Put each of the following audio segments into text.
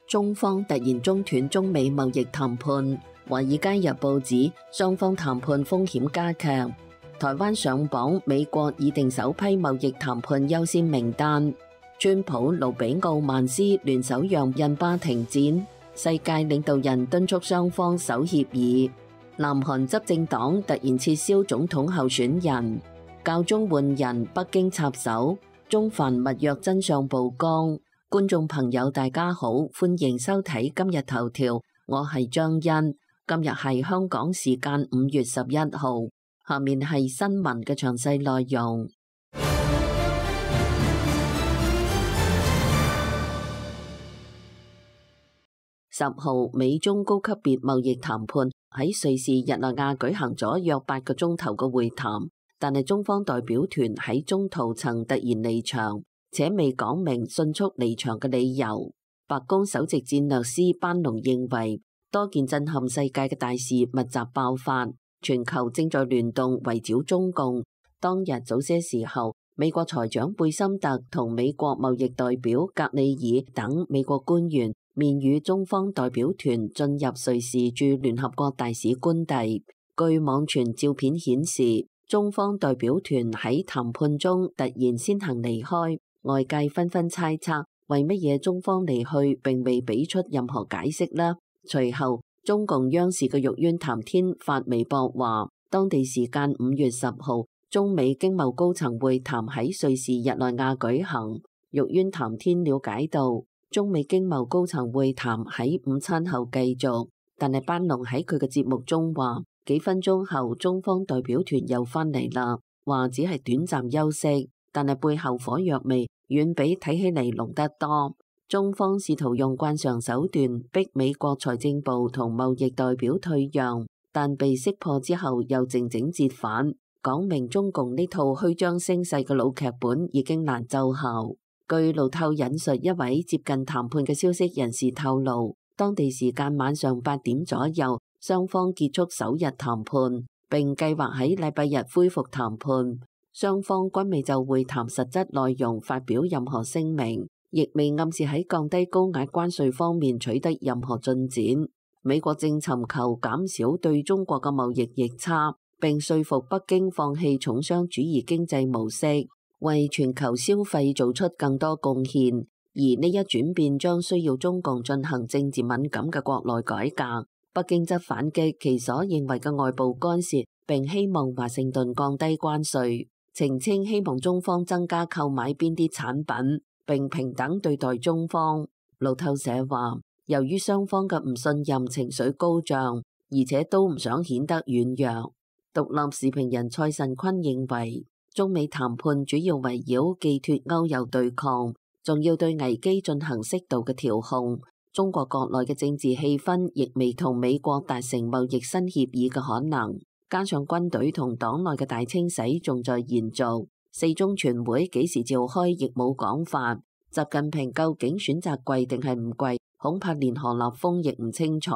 中方突然中斷中美貿易談判，《華爾街日報》指雙方談判風險加劇。台灣上榜，美國擬定首批貿易談判優先名單。川普、盧比奧曼斯聯手讓印巴停戰，世界領導人敦促雙方守協議。南韓執政黨突然撤銷總統候選人，教宗換人，北京插手，中梵密約真相曝光。觀眾朋友大家好，歡迎收睇今日頭條，我係張欣。今日係香港時間5月11號，下面係新聞嘅詳細內容。10號，美中高級別貿易談判喺瑞士日內瓦舉行咗約8個鐘頭嘅會談，但係中方代表團喺中途曾突然離場，且未講明迅速離場嘅理由。白宮首席戰略師班農認為，多件震撼世界嘅大事密集爆發，全球正在聯動圍繞中共。當日早些時候，美國財長貝森特同美國貿易代表格里爾等美國官員面與中方代表團進入瑞士駐聯合國大使官邸。據網傳照片顯示，中方代表團喺談判中突然先行離開。外界紛紛猜測，為乜嘢中方離去並未俾出任何解釋呢？隨後，中共央視嘅玉淵談天發微博話，當地時間5月10號，中美經貿高層會談喺瑞士日內瓦舉行。玉淵談天了解到，中美經貿高層會談喺午餐後繼續，但係班農喺佢嘅節目中話，幾分鐘後中方代表團又返嚟啦，話只係短暫休息。但係背後火藥味遠比睇起嚟濃得多。中方試圖用慣常手段逼美國財政部同貿易代表退讓，但被識破之後又靜靜折返，講明中共呢套虛張聲勢嘅老劇本已經難奏效。據路透引述一位接近談判嘅消息人士透露，當地時間晚上8點左右，雙方結束首日談判，並計劃喺禮拜日恢復談判。雙方均未就會談實質內容發表任何聲明，亦未暗示喺降低高額關稅方面取得任何進展。美國正尋求減少對中國嘅貿易逆差，並說服北京放棄重商主義經濟模式，為全球消費做出更多貢獻。而呢一轉變將需要中共進行政治敏感嘅國內改革。北京則反擊其所認為嘅外部干涉，並希望華盛頓降低關稅。澄清希望中方增加購買邊啲產品，並平等對待中方。路透社話，由於雙方嘅唔信任情緒高漲，而且都唔想顯得軟弱。獨立時評人蔡慎坤認為，中美談判主要圍繞既脫歐又對抗，仲要對危機進行適度嘅調控。中國國內嘅政治氣氛亦未同美國達成貿易新協議嘅可能。加上軍隊同黨內嘅大清洗仲在延續，四中全會幾時召開亦冇講法。習近平究竟選擇跪定係唔跪，恐怕連何立峰亦唔清楚。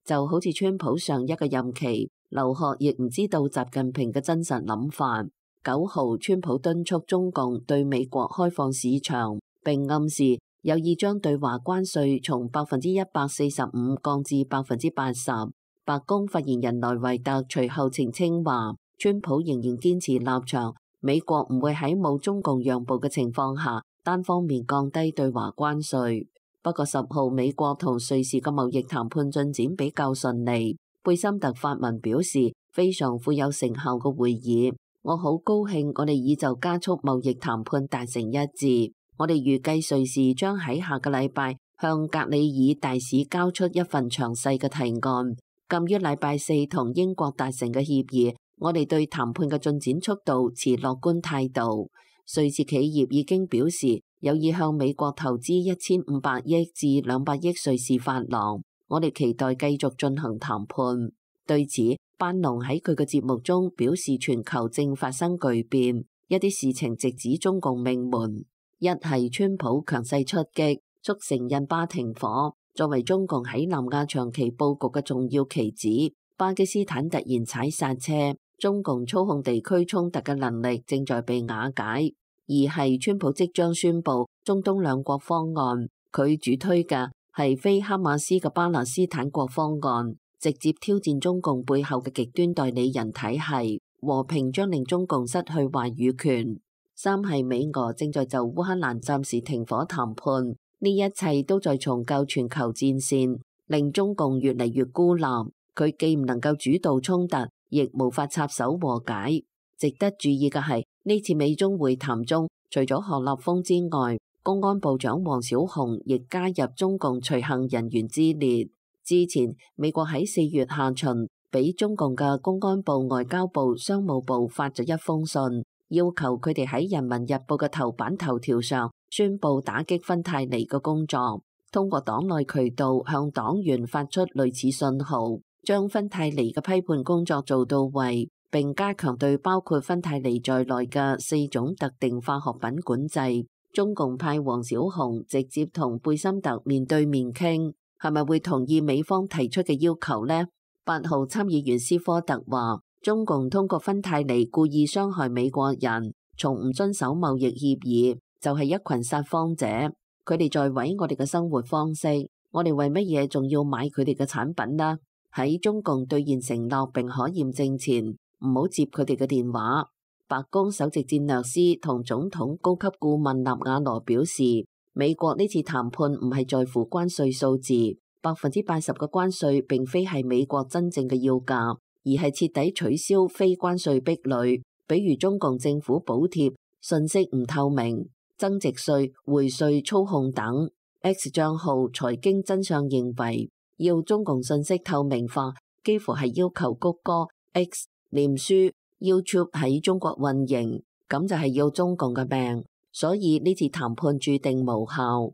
就好似川普上一個任期，劉鶴亦唔知道習近平嘅真實諗法。9號，川普敦促中共對美國開放市場，並暗示有意將對華關稅從145%降至80%。白宮發言人萊維特隨後澄清話，川普仍然堅持立場，美國唔會喺冇中共讓步嘅情況下單方面降低對華關稅。不過10號，美國同瑞士嘅貿易談判進展比較順利。貝森特發文表示，非常富有成效嘅會議，我好高興我哋已就加速貿易談判達成一致。我哋預計瑞士將喺下個禮拜向格里爾大使交出一份詳細嘅提案。鑒於禮拜4同英國達成嘅協議，我哋對談判嘅進展速度持樂觀態度。瑞士企業已經表示有意向美國投資1500億至200億瑞士法郎，我哋期待繼續進行談判。對此，班農喺佢嘅節目中表示，全球正發生巨變，一啲事情直指中共命門。一係川普強勢出擊，促成印巴停火。作為中共喺南亞長期佈局嘅重要棋子，巴基斯坦突然踩剎車，中共操控地區衝突嘅能力正在被瓦解。二係川普即將宣布中東兩國方案，佢主推嘅係非哈馬斯嘅巴勒斯坦國方案，直接挑戰中共背後嘅極端代理人體系，和平將令中共失去話語權。三係美俄正在就烏克蘭暫時停火談判，呢一切都在重構全球戰線，令中共越嚟越孤立。佢既唔能夠主導衝突，亦無法插手和解。值得注意嘅係，呢次美中會談中，除咗何立峰之外，公安部長王小洪亦加入中共隨行人員之列。之前美國喺4月下旬，俾中共嘅公安部、外交部、商務部發咗一封信，要求佢哋喺《人民日報》嘅頭版頭條上宣布打擊芬太尼嘅工作，通過黨內渠道向黨員發出類似信號，將芬太尼嘅批判工作做到位，並加強對包括芬太尼在內嘅4種特定化學品管制。中共派王小洪直接同貝森特面對面傾，係咪會同意美方提出嘅要求呢？8號參議員斯科特話，中共通過芬太尼故意傷害美國人，從唔遵守貿易協議，就係一群撒謊者。佢哋在毀我哋嘅生活方式，我哋為乜嘢仲要買佢哋嘅產品呢？喺中共兌現承諾並可驗證前，唔好接佢哋嘅電話。白宮首席戰略師同總統高級顧問納瓦羅表示，美國呢次談判唔係在乎關稅數字，80%嘅關稅並非係美國真正嘅要價，而係徹底取消非關稅壁壘，比如中共政府補貼、信息唔透明、增值稅、匯稅操控等。X 賬號財經真相認為，要中共信息透明化，幾乎係要求谷歌、X、臉書、YouTube 喺中國運營，咁就係要中共嘅命，所以呢次談判注定無效。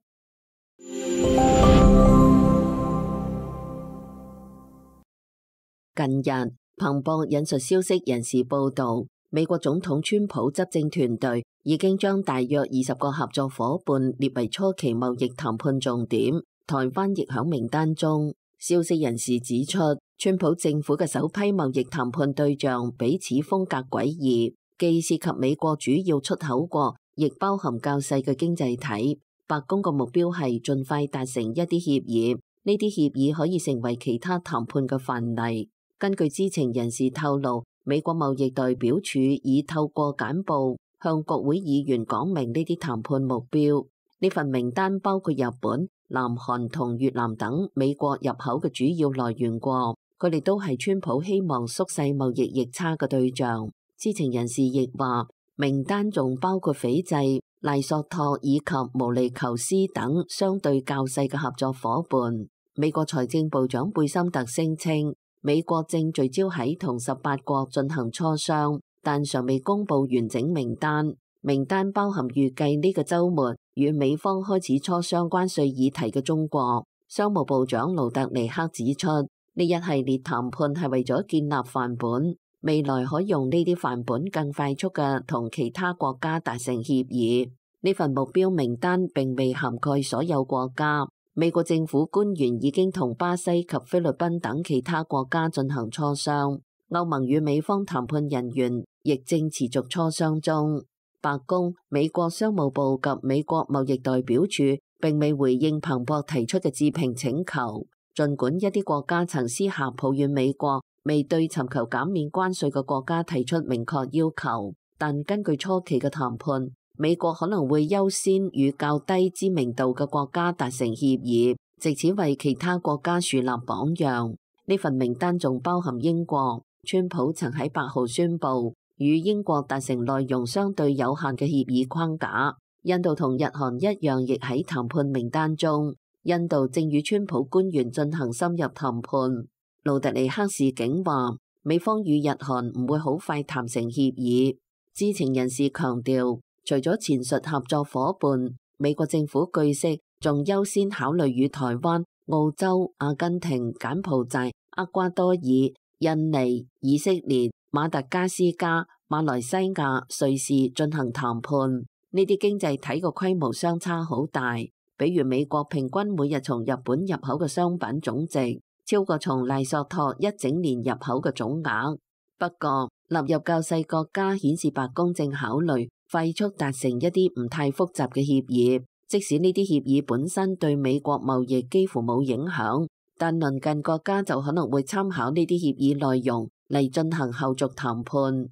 近日，彭博引述消息人士報道，美國總統川普執政團隊已經將大約20個合作夥伴列為初期貿易談判重點，台灣亦響名單中。消息人士指出，川普政府嘅首批貿易談判對象彼此風格詭異，既涉及美國主要出口國，亦包含較細嘅經濟體。白宮嘅目標係盡快達成一啲協議，呢啲協議可以成為其他談判嘅範例。根據知情人士透露，美國貿易代表處已透過簡報向國會議員講明呢啲談判目標。呢份名單包括日本、南韓同越南等美國入口嘅主要來源國，佢哋都係川普希望縮細貿易逆差嘅對象。知情人士亦話，名單仲包括斐濟、賴索托以及毛利求斯等相對較細嘅合作夥伴。美國財政部長貝森特聲稱，美國正聚焦喺同18國進行磋商，但尚未公布完整名單。名單包含預計呢個週末與美方開始磋商關稅議題嘅中國。商務部長盧特尼克指出，呢一系列談判係為咗建立範本，未來可用呢啲範本更快速嘅同其他國家達成協議。呢份目標名單並未涵蓋所有國家。美國政府官員已經同巴西及菲律賓等其他國家進行磋商，歐盟與美方談判人員亦正持續磋商中。白宮、美國商務部及美國貿易代表處並未回應彭博提出嘅置評請求，儘管一啲國家曾私下抱怨美國未對尋求減免關稅嘅國家提出明確要求，但根據初期嘅談判，美國可能會優先與較低知名度嘅國家達成協議，藉此為其他國家樹立榜樣。呢份名單仲包含英國，川普曾喺8號宣布與英國達成內容相對有限嘅協議框架。印度同日韓一樣，亦喺談判名單中。印度正與川普官員進行深入談判。盧特尼克示警話，美方與日韓唔會好快談成協議。知情人士強調，除咗前述合作夥伴，美國政府據悉仲優先考慮與台灣、澳洲、阿根廷、柬埔寨、厄瓜多爾、印尼、以色列、馬達加斯加、馬來西亞、瑞士進行談判。呢啲經濟體嘅規模相差好大，比如美國平均每日從日本入口嘅商品總值超過從賴索托一整年入口嘅總額。不過納入較細國家顯示白宮正考慮快速達成一啲唔太複雜嘅協議，即使呢啲協議本身對美國貿易幾乎冇影響，但鄰近國家就可能會參考呢啲協議內容嚟進行後續談判。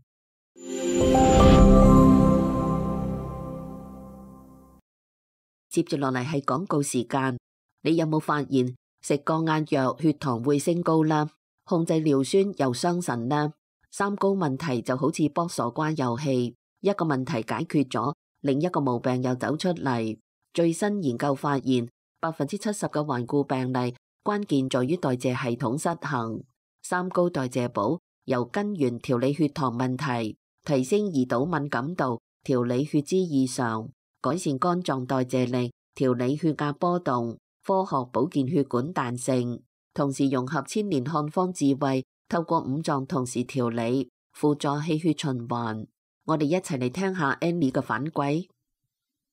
接住落嚟係廣告時間，你有冇發現食降壓藥血糖會升高啦？控制尿酸又傷腎啦？三高問題就好似卜傻瓜遊戲，一個問題解決咗，另一個毛病又走出嚟。最新研究發現，70%嘅頑固病例關鍵在於代謝系統失衡。三高代謝補由根源調理血糖問題，提升胰島敏感度，調理血脂異常，改善肝臟代謝力，調理血壓波動，科學保健血管彈性，同時融合千年漢方智慧，透過五臟同時調理，輔助氣血循環。我哋一齊嚟聽下 Annie 嘅反饋。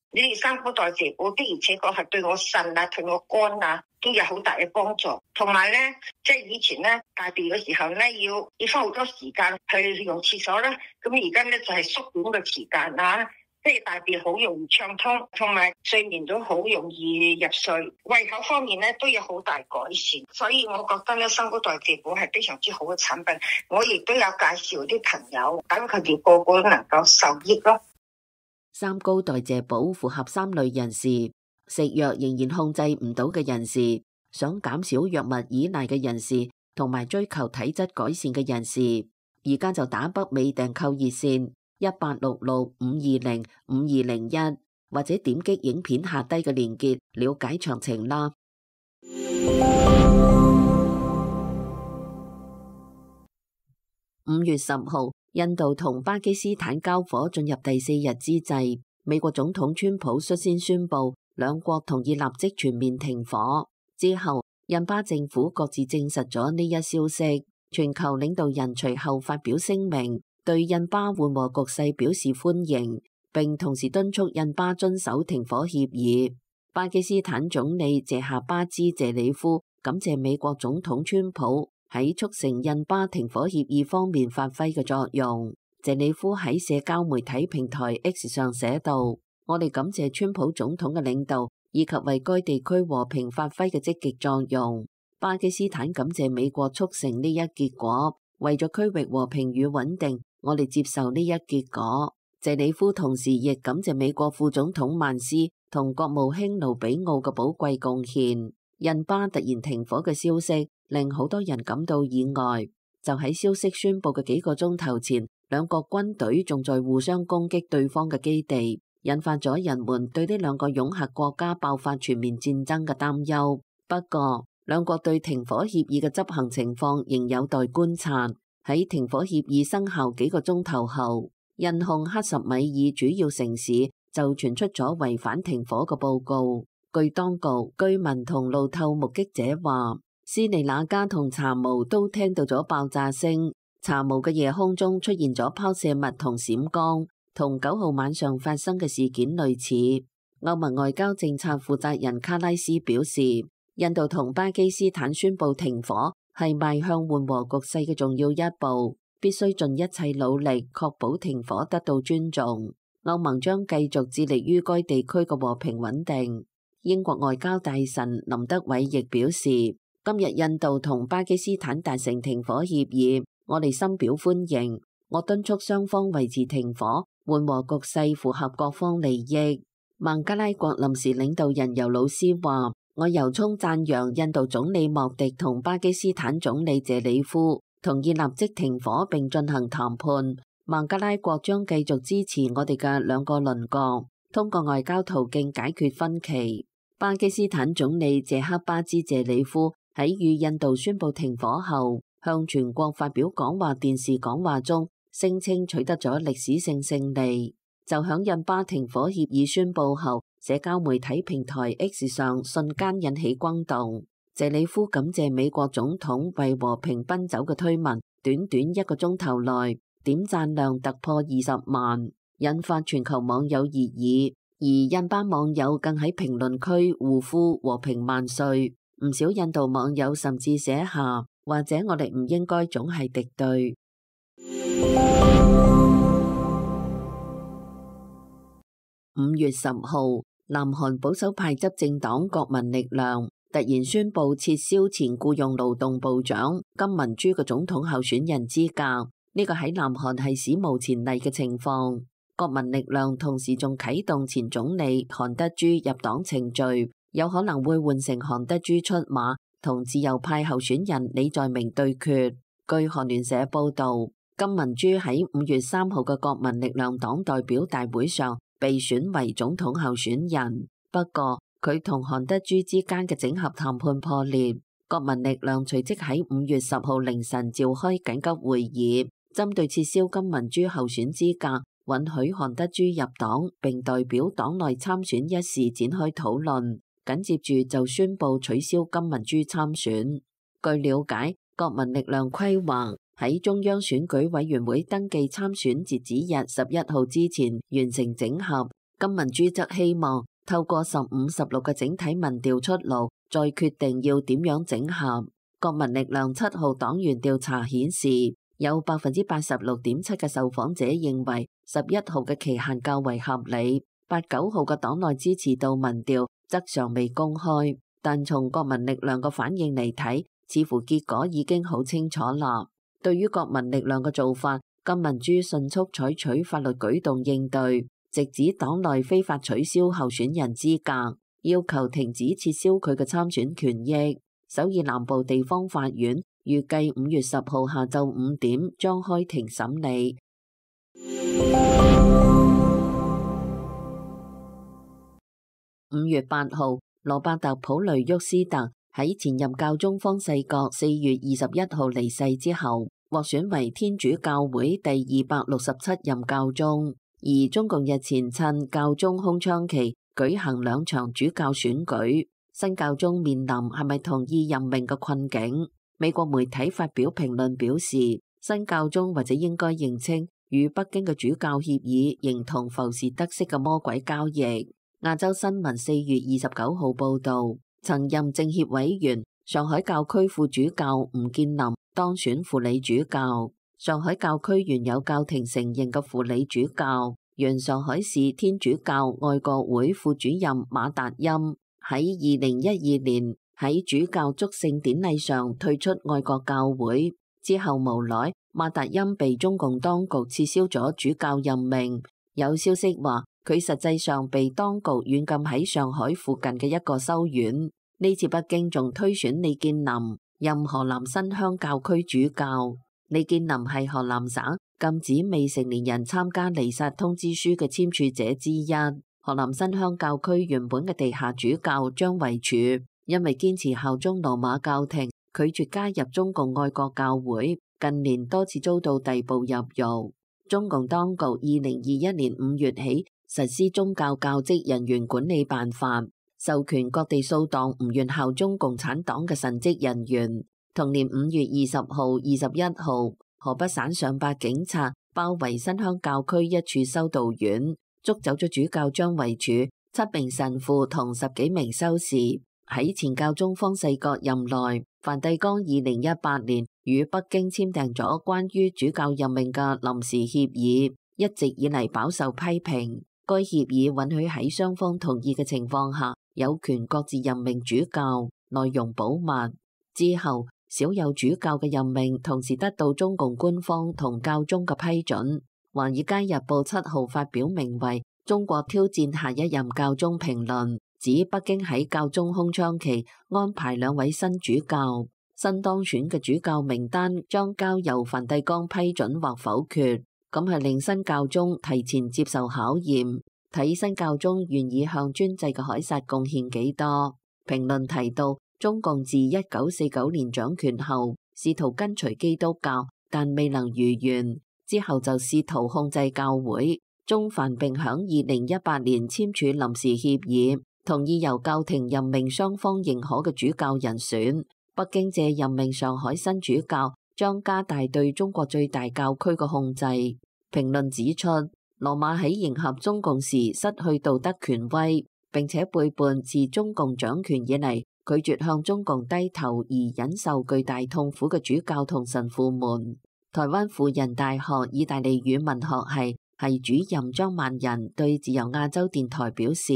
呢啲三高代謝補的而且確係對我腎啊、對我肝啊都有好大嘅幫助。同埋咧，即係以前咧大便嘅時候咧，要花好多時間去用廁所啦。咁而家咧就係縮短嘅時間啦，即係大便好容易暢通，同埋睡眠都好容易入睡。胃口方面咧都有好大改善，所以我覺得咧三高代謝補係非常之好嘅產品。我亦都有介紹啲朋友，等佢哋個個都能夠受益咯。三高代謝補符合三類人士：食藥仍然控制唔到嘅人士，想減少藥物依賴嘅人士，同埋追求體質改善嘅人士。而家就打北美訂購熱線1866-520-5201，或者點擊影片下低嘅連結了解詳情啦。5月10號，印度同巴基斯坦交火進入第4日之際，美國總統川普率先宣布兩國同意立即全面停火。之後，印巴政府各自證實咗呢一消息。全球領導人隨後發表聲明，對印巴緩和局勢表示歡迎，並同時敦促印巴遵守停火協議。巴基斯坦總理謝夏巴茲謝里夫感謝美國總統川普喺促成印巴停火協議方面發揮嘅作用。謝里夫喺社交媒體平台 X 上寫道：我哋感謝川普總統嘅領導以及為該地區和平發揮嘅積極作用。巴基斯坦感謝美國促成呢一結果，為咗區域和平與穩定，我哋接受呢一結果。謝里夫同時亦感謝美國副總統曼斯同國務卿盧比奧嘅寶貴貢獻。印巴突然停火嘅消息令好多人感到意外，就喺消息宣布嘅幾個鐘頭前，兩國軍隊仲在互相攻擊對方嘅基地，引發咗人們對呢兩個擁核國家爆發全面戰爭嘅擔憂。不過，兩國對停火協議嘅執行情況仍有待觀察。喺停火協議生效幾個鐘頭後，印控克什米爾主要城市就傳出咗違反停火嘅報告。據當局、居民同路透目擊者話，斯里那加同查謨都聽到咗爆炸聲。查謨嘅夜空中出現咗拋射物同閃光，同9號晚上發生嘅事件類似。歐盟外交政策負責人卡拉斯表示，印度同巴基斯坦宣布停火係邁向緩和局勢嘅重要一步，必須盡一切努力確保停火得到尊重。歐盟將繼續致力於該地區嘅和平穩定。英國外交大臣林德偉亦表示，今日印度同巴基斯坦達成停火協議，我哋深表歡迎。我敦促雙方維持停火，緩和局勢符合各方利益。孟加拉國臨時領導人尤魯斯話，我由衷讚揚印度總理莫迪同巴基斯坦總理謝里夫同意立即停火並進行談判。孟加拉國將繼續支持我哋嘅兩個鄰國，通過外交途徑解決分歧。巴基斯坦總理謝克巴茲謝里夫喺與印度宣布停火後，向全國發表講話電視講話中，聲稱取得咗歷史性勝利。就響印巴停火協議宣布後，社交媒體平台 X 上瞬間引起轟動。謝里夫感謝美國總統為和平奔走嘅推文，短短1個鐘頭內點讚量突破20萬，引發全球網友熱議。而印巴網友更喺評論區互呼和平萬歲，唔少印度網友甚至寫下，或者我哋唔應該總係敵對。5月10號，南韓保守派執政黨國民力量突然宣布撤銷前僱用勞動部長金文珠嘅總統候選人資格，呢個喺南韓係史無前例嘅情況。國民力量同時仲啟動前總理韓德珠入黨程序，有可能會換成韓德珠出馬，同自由派候選人李在明對決。據韓聯社報導，金文珠喺5月3號嘅國民力量黨代表大會上被選為總統候選人，不過佢同韓德珠之間嘅整合談判破裂，國民力量隨即喺5月10號凌晨召開緊急會議，針對撤銷金文珠候選資格，允許韓德珠入黨並代表黨內參選一事展開討論，緊接住就宣布取消金文珠參選。據了解，國民力量規劃喺中央選舉委員會登記參選截止日11號之前完成整合，金文珠則希望透過15、16嘅整體民調出爐，再決定要點樣整合。國民力量7號黨員調查顯示，有86.7%嘅受訪者認為11號嘅期限較為合理，8、9號嘅黨內支持度民調則尚未公開，但從國民力量嘅反應嚟睇，似乎結果已經好清楚啦。對於國民力量嘅做法，金文珠迅速採取法律舉動應對，直指黨內非法取消候選人資格，要求停止撤銷佢嘅參選權益。首爾南部地方法院預計5月10號下晝5點將開庭審理。5月8號，羅伯特普雷沃斯特喺前任教宗方濟各4月21號離世之後，獲選為天主教會第267任教宗。而中共日前趁教宗空窗期舉行2場主教選舉，新教宗面臨係咪同意任命嘅困境。美國媒體發表評論表示，新教宗或者應該認清與北京嘅主教協議形同浮士德式嘅魔鬼交易。亞洲新聞4月29號報道，曾任政協委員、上海教區副主教吳建林當選輔理主教。上海教區原有教廷承認嘅輔理主教，原上海市天主教愛國會副主任馬達欽，喺2012年喺主教祝聖典禮上退出愛國教會之後，無奈馬達欽被中共當局撤銷咗主教任命。有消息話，佢實際上被當局軟禁喺上海附近嘅一個修院。呢次北京仲推選李建林任河南新鄉教區主教。李建林係河南省禁止未成年人參加彌撒通知書嘅簽署者之一。河南新鄉教區原本嘅地下主教張維柱，因為堅持效忠羅馬教廷，拒絕加入中共愛國教會，近年多次遭到逮捕入獄。中共當局2021年5月起實施宗教教職人員管理辦法，授權各地掃蕩唔願效忠共產黨嘅神職人員。同年5月20號、21號，河北省上百警察包圍新鄉教區一處修道院，捉走咗主教張維柱、7名神父同10幾名修士。喺前教宗方濟各任內，梵蒂岡2018年與北京簽訂咗關於主教任命嘅臨時協議，一直以嚟飽受批評。該協議允許喺雙方同意嘅情況下，有權各自任命主教，內容保密。之後，少有主教嘅任命同時得到中共官方同教宗嘅批准。華爾街日報7號發表名為《中國挑戰下一任教宗》評論，指北京喺教宗空窗期安排2位新主教，新當選嘅主教名單將交由梵蒂岡批准或否決，咁係令新教宗提前接受考驗，睇新教宗願意向專制嘅凱撒貢獻幾多。評論提到，中共自1949年掌權後，試圖跟隨基督教，但未能如願。之後就試圖控制教會。中梵並響2018年簽署臨時協議，同意由教廷任命雙方認可嘅主教人選。北京借任命上海新主教，將加大對中國最大教區嘅控制。評論指出，羅馬喺迎合中共時失去道德權威，並且背叛自中共掌權以嚟拒絕向中共低頭而忍受巨大痛苦嘅主教同神父們。台灣輔仁大學意大利語文學系主任張萬仁對自由亞洲電台表示，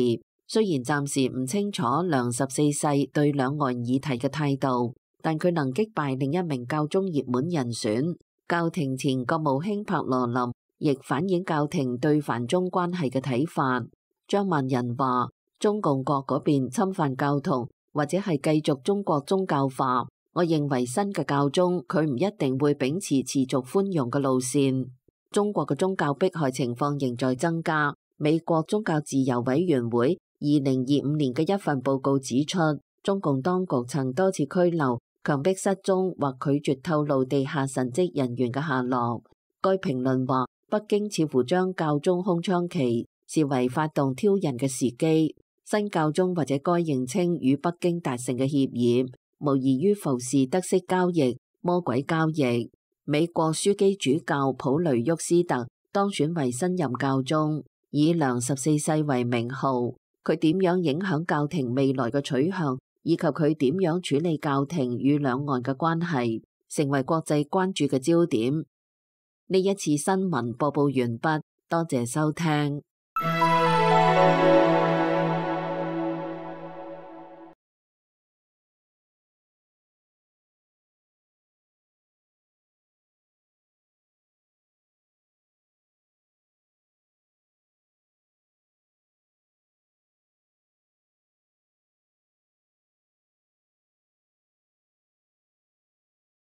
雖然暫時唔清楚梁14世對兩岸議題嘅態度，但佢能擊敗另一名教宗熱門人選。教廷前國務卿帕羅林亦反映教廷對梵中關係嘅睇法。張萬仁話：中共國嗰邊侵犯教徒，或者係繼續中國宗教化。我認為新嘅教宗佢唔一定會秉持持續寬容嘅路線。中國嘅宗教迫害情況仍在增加。美國宗教自由委員會2025年嘅一份報告指出，中共當局曾多次拘留、強迫失蹤或拒絕透露地下神職人員嘅下落。該評論話，北京似乎將教宗空窗期視為發動挑釁嘅時機。新教宗或者該認清與北京達成嘅協議，無異於浮士德式交易、魔鬼交易。美國樞機主教普雷沃斯特當選為新任教宗，以梁14世為名號。佢點樣影響教廷未來嘅取向，以及佢點樣處理教廷與兩岸嘅關係，成為國際關注嘅焦點。呢一次新聞播報完畢，多謝收聽。